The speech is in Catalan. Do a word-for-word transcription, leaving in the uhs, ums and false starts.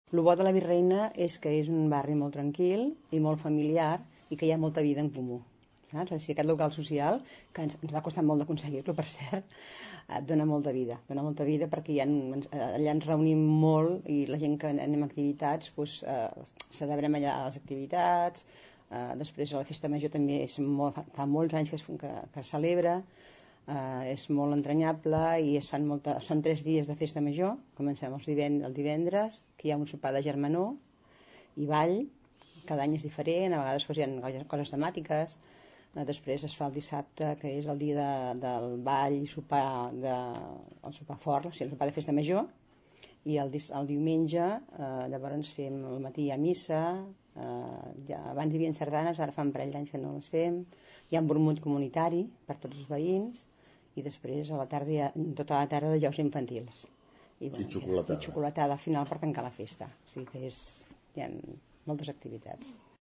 El bo de la Virreina és que és un barri molt tranquil i molt familiar i que hi ha molta vida en comú. Saps? Així, aquest local social, que ens, ens va costar molt d'aconseguir-lo, per cert, et dona molta vida. Dona molta vida perquè hi ha, allà ens reunim molt i la gent que anem a activitats, doncs, eh, celebrem allà les activitats, eh, després a la festa major també és molt, fa molts anys que es, que, que es celebra, eh, és molt entranyable i es fan molta, són tres dies de festa major. Comencem els divend, el divendres, que hi ha un sopar de germanor i ball, cada any és diferent, a vegades doncs, hi ha coses temàtiques. Després es fa el dissabte, que és el dia de, del ball i sopar, de, el sopar fort, o sigui, el sopar de festa major, i el, el diumenge eh, llavors fem al matí a missa, eh, ja, abans hi havia sardanes, ara fa un parell d'anys que no les fem, hi ha un vermut comunitari per tots els veïns, i després a la tarda hi ha tota la tarda de jocs infantils. I, bueno, I xocolatada. I xocolatada al final per tancar la festa, o sigui que és, hi ha moltes activitats.